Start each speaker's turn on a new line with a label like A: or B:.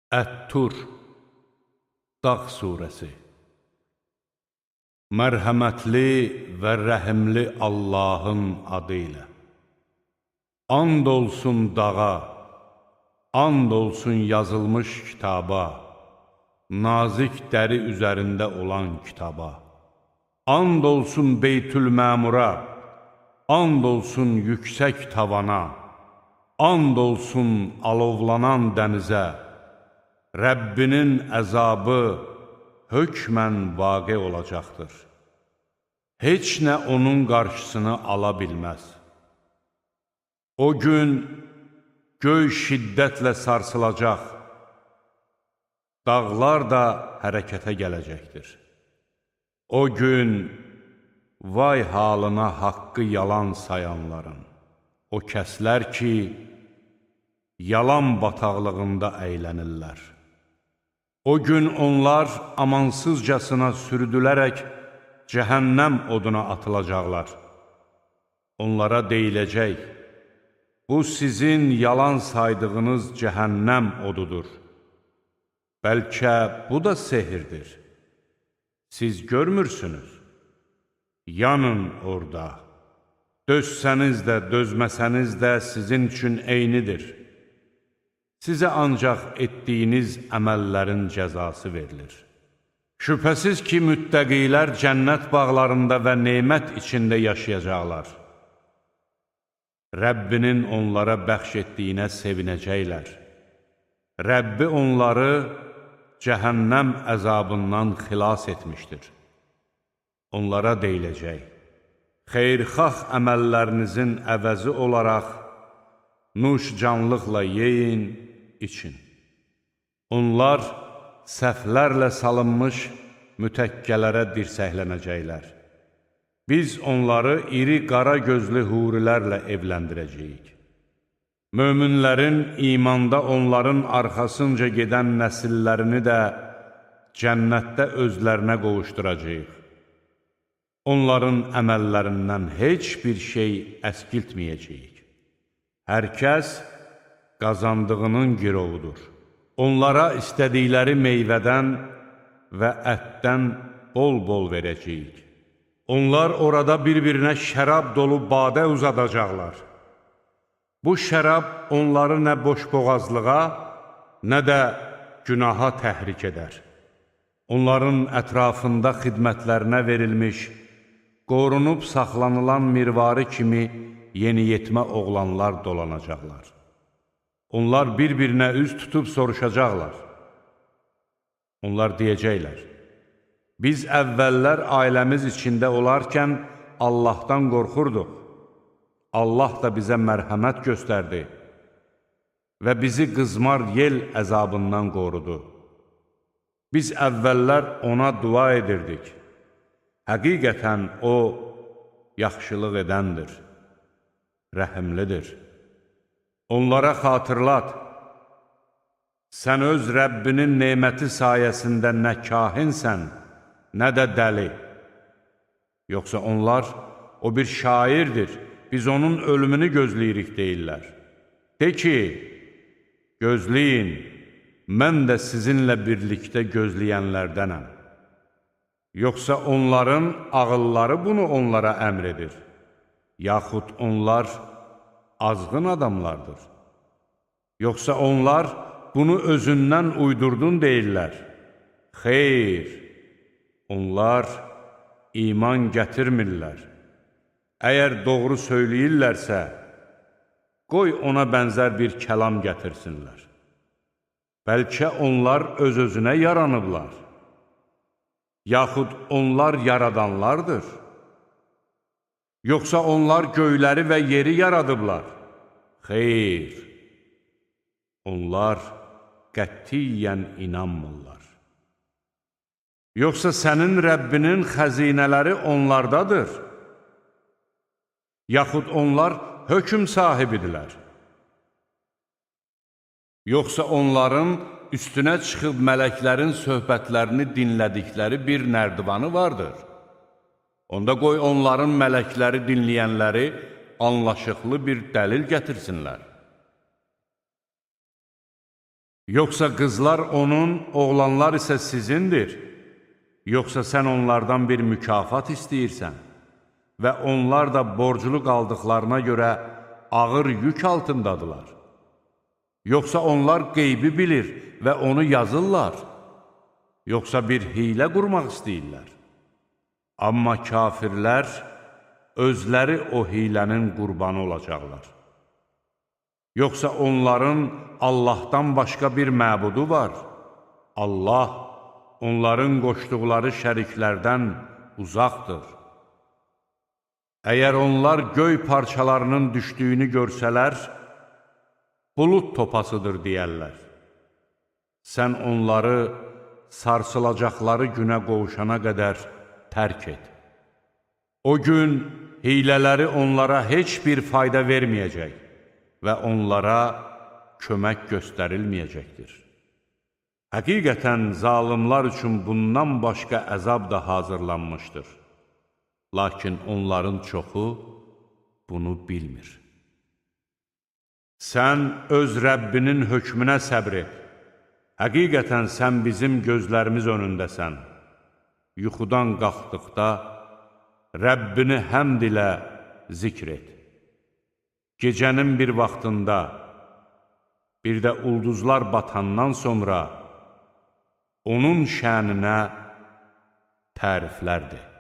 A: Ət-Tur Dağ surəsi. Mərhəmətli və rəhimli Allahın adı ilə. And olsun dağa, and olsun yazılmış kitaba, nazik dəri üzərində olan kitaba. And olsun Beytül-Məmura, and olsun yüksək tavana, and olsun alovlanan dənizə. Rəbbinin əzabı hökmən vaqe olacaqdır. Heç nə onun qarşısını ala bilməz. O gün göy şiddətlə sarsılacaq, dağlar da hərəkətə gələcəkdir. O gün vay halına haqqı yalan sayanların, o kəslər ki, yalan bataqlığında əylənirlər. O gün onlar amansızcasına sürüdülərək cəhənnəm oduna atılacaqlar. Onlara deyiləcək, bu sizin yalan saydığınız cəhənnəm odudur. Bəlkə bu da sehirdir. Siz görmürsünüz. Yanın orada. Dözsəniz də, dözməsəniz də sizin üçün eynidir. Sizə ancaq etdiyiniz əməllərin cəzası verilir. Şübhəsiz ki, müttəqilər cənnət bağlarında və nemət içində yaşayacaqlar. Rəbbinin onlara bəxş etdiyinə sevinəcəklər. Rəbbi onları cəhənnəm əzabından xilas etmişdir. Onlara deyiləcək, xeyirxah əməllərinizin əvəzi olaraq nuş canlıqla yeyin, için. Onlar səhvlərlə salınmış mütəkkələrə dirsəklənəcəklər. Biz onları iri qara gözlü hurilərlə evləndirəcəyik. Möminlərin imanda onların arxasınca gedən nəsillərini də cənnətdə özlərinə qovuşduracağıq. Onların əməllərindən heç bir şey əskiltməyəcəyik. Hər kəs qazandığının girovudur. Onlara istədikləri meyvədən və ətdən bol-bol verəcəyik. Onlar orada bir-birinə şərab dolu badə uzadacaqlar. Bu şərab onları nə boşboğazlığa, nə də günaha təhrik edər. Onların ətrafında xidmətlərinə verilmiş, qorunub saxlanılan mirvari kimi yeniyetmə oğlanlar dolanacaqlar. Onlar bir-birinə üz tutub soruşacaqlar. Onlar deyəcəklər, biz əvvəllər ailəmiz içində olarkən Allahdan qorxurduq. Allah da bizə mərhəmət göstərdi və bizi qızmar yel əzabından qorudu. Biz əvvəllər ona dua edirdik. Həqiqətən o yaxşılıq edəndir, rəhimlidir. Onlara xatırlat, sən öz Rəbbinin neməti sayəsində nə kahinsən, nə də dəli. Yoxsa onlar, o bir şairdir, biz onun ölümünü gözləyirik deyirlər. De ki, gözləyin, mən də sizinlə birlikdə gözləyənlərdənəm. Yoxsa onların ağılları bunu onlara əmr edir, yaxud onlar azğın adamlardır. Yoxsa onlar bunu özündən uydurdun deyirlər. Xeyr, onlar iman gətirmirlər. Əgər doğru söyləyirlərsə, qoy ona bənzər bir kəlam gətirsinlər. Bəlkə onlar öz-özünə yaranıblar. Yaxud onlar yaradanlardır. Yoxsa onlar göyləri və yeri yaradıblar. Xeyr, onlar qətiyyən inanmırlar. Yoxsa sənin Rəbbinin xəzinələri onlardadır. Yaxud onlar hökm sahibidirlər. Yoxsa onların üstünə çıxıb mələklərin söhbətlərini dinlədikləri bir nərdivanı vardır. Onda qoy onların mələkləri dinləyənləri anlaşıqlı bir dəlil gətirsinlər. Yoxsa qızlar onun, oğlanlar isə sizindir. Yoxsa sən onlardan bir mükafat istəyirsən və onlar da borclu qaldıqlarına görə ağır yük altındadılar. Yoxsa onlar qeybi bilir və onu yazırlar. Yoxsa bir hiylə qurmaq istəyirlər. Amma kafirlər özləri o hilənin qurbanı olacaqlar. Yoxsa onların Allahdan başqa bir məbudu var. Allah onların qoşduqları şəriklərdən uzaqdır. Əgər onlar göy parçalarının düşdüyünü görsələr, bulud topasıdır deyərlər. Sən onları sarsılacaqları günə qovuşana qədər tərk et. O gün hilələri onlara heç bir fayda verməyəcək və onlara kömək göstərilməyəcəkdir. Həqiqətən zalimlar üçün bundan başqa əzab da hazırlanmışdır. Lakin onların çoxu bunu bilmir. Sən öz Rəbbinin hökmünə səbr et. Həqiqətən sən bizim gözlərimiz önündəsən. Yuxudan qalxdıqda Rəbbini həmd ilə zikr et. Gecənin bir vaxtında, bir də ulduzlar batandan sonra onun şəninə təriflərdir.